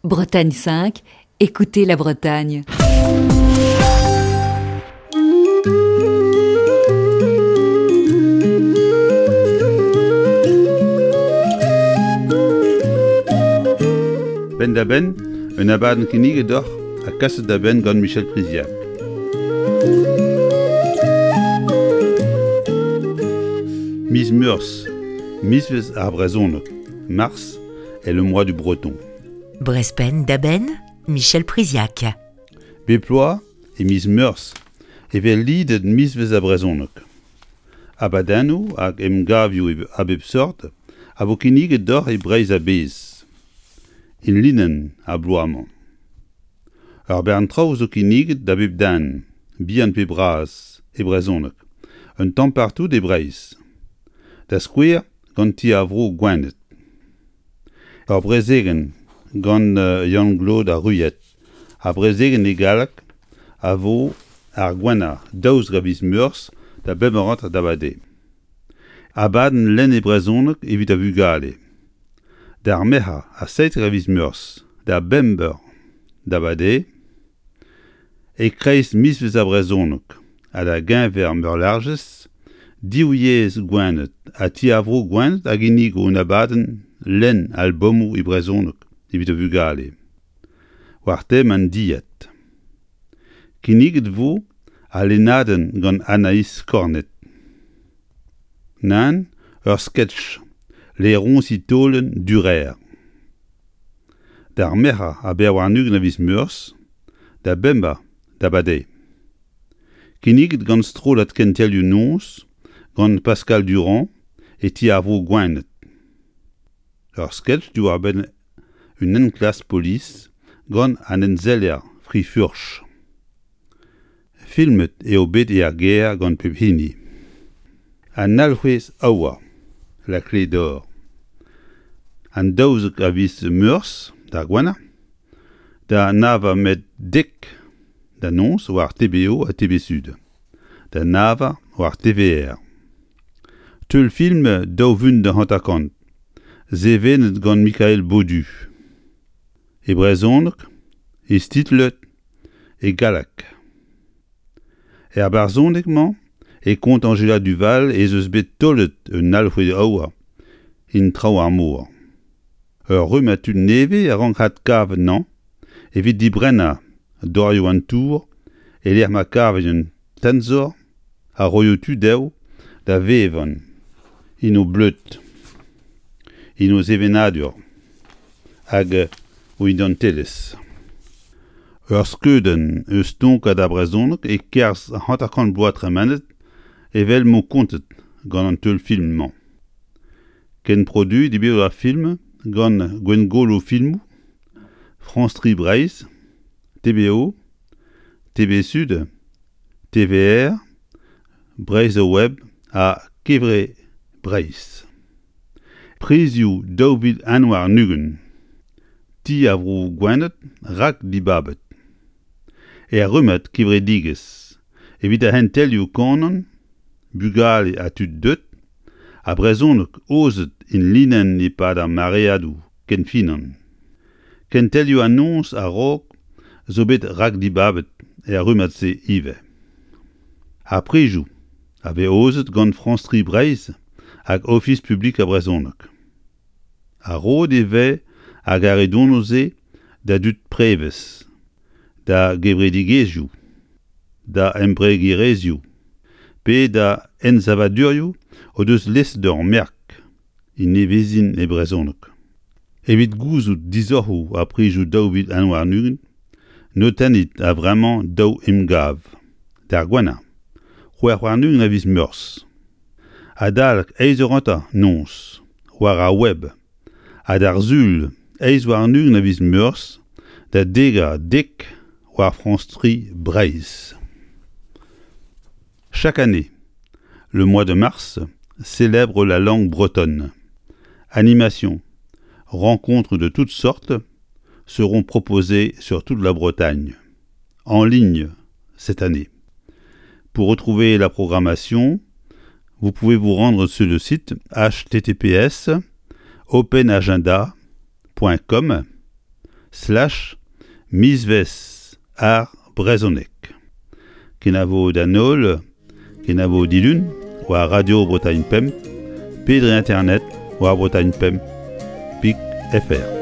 Bretagne 5, écoutez la Bretagne. Penn-da-benn, un abadenn kinniget deoc'h ha kaset da benn gant Michel Priziac. Miz Meurzh, mizvezh ar brezhoneg, Mars est le mois du breton. Brezpenn da benn, Michel Priziac. Bep bloaz, e miz Meurzh, e vez lidet mizvezh ar brezhoneg. Abadennoù hag emgavioù a bep seurt a vo kinniget deoc'h e Breizh a-bezh. Enlinenn ar bloaz-mañ. Ur bern traoù zo kinniget da bep den, bihan pe bras, e brezhoneg, un tamm partout e Breizh. Da skouer gant Ti ar Vro Gwened. Ur brezegenn gant Yann-Glaod ar Ruyet. Ar brezegenn e galleg a vo ar gwener 12 a viz Meurzh da bemp eur hanter d'abardaez. Abadenn lenn e brezhoneg evit ar vugale. D'ar Merc'her ha 17 a viz Meurzh da bemp eur d'abardaez E-kreiz mizvezh ar brezhoneg ha da geñver Meurlarjez, Div Yezh Gwened ha Ti ar Vro Gwened a ginnigo un abadenn lenn albomoù e brezhoneg evit ar vugale, war tem an dilhad. Kinniget 'vo al lennadenn gant Anaïs Kornet. Nann, ur sketch, Laeroñsi taolenn Durer. D'ar Merc'her ha 24 a viz Meurzh, da bemp eur d'abardaez. Kinniget gant strollad Kentelioù Noz gant Pascal Durand e Ti ar Vro Gwened. Ur sketch diwar-benn un enklask polis gant an enseller Fri-Furch. Filmet eo bet er gêr gant pep hini. An alc'hwez aour, la clé d'or. An 12 a viz Meurzh, d'ar Gwener, da nav met dek da noz war TBO ha TV Sud, da nav war TVR. Teulfilm 2050, sevenet gant Mikael Baudu. E brezhoneg, istitlet e galleg. Er barzhoneg-mañ e kont Anjela Duval ez eus bet taolet un alc'hwez aour en traoñ ar mor. Ur rummad tud nevez a rank adkavet anezhañ evit dibrennañ dorioù an tour e-lec'h ma kavint un tenzor a roio tu dezho da vevañ en o bleud, en o sevenadur hag o identelezh. Ur skeudenn eus tonkad ar brezhoneg e-kerzh 50 bloaz tremenet evel m'o kontet gant an teulfilm-mañ. Kenproduet eo bet ar film gant Gwengolo Filmoù, Frañs Tri Breizh, TBO, TV Sud, TVR, Breizh Web ha Kevre Breizh. Prizioù 2021 Ti ar Vro Gwened rak-dibabet. Er rummad kevredigezh evit ar c'hentelioù kanan, bugale ha tud deuet, ha brezhoneg aozet enlinenn e-pad ar mareadoù kenfinan. Kentelioù an noz a-raok zo bet rakdibabet er rummad-se ivez. Ar prizioù a vez aozet gant Frañs Tri Breizh hag Ofis Publik ar Brezhoneg. Ha roet e vez ar garedonoù-se da dud prevez, da gevredigezhioù, da embregerezhioù pe da ensavadurioù o deus lezet ur merk e nevezin e brezhoneg. Evit gouzout disoc'hoù ar prizioù 2021, notennit a-vremañ daou emgav. D'ar gwener, 26 a viz Meurzh. Adalek eizh eur hanter noz, war ar web, ha d'ar Sul 28 a viz Meurzh da degas dek war Frañs 3 Breizh. Chaque année, le mois de mars célèbre la langue bretonne. Animations, rencontres de toutes sortes seront proposées sur toute la Bretagne, en ligne cette année. Pour retrouver la programmation, vous pouvez vous rendre sur le site https openagenda.com slash mizvezh ar brezhoneg. Kenavo d'an holl, kenavo dilun war Radio Bretagne Pemp pe dre internet war Bretagne Pemp pik fr.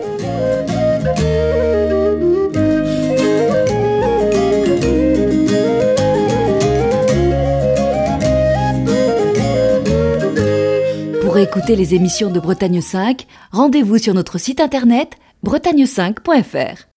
Pour écouter les émissions de Bretagne 5, rendez-vous sur notre site internet bretagne5.fr.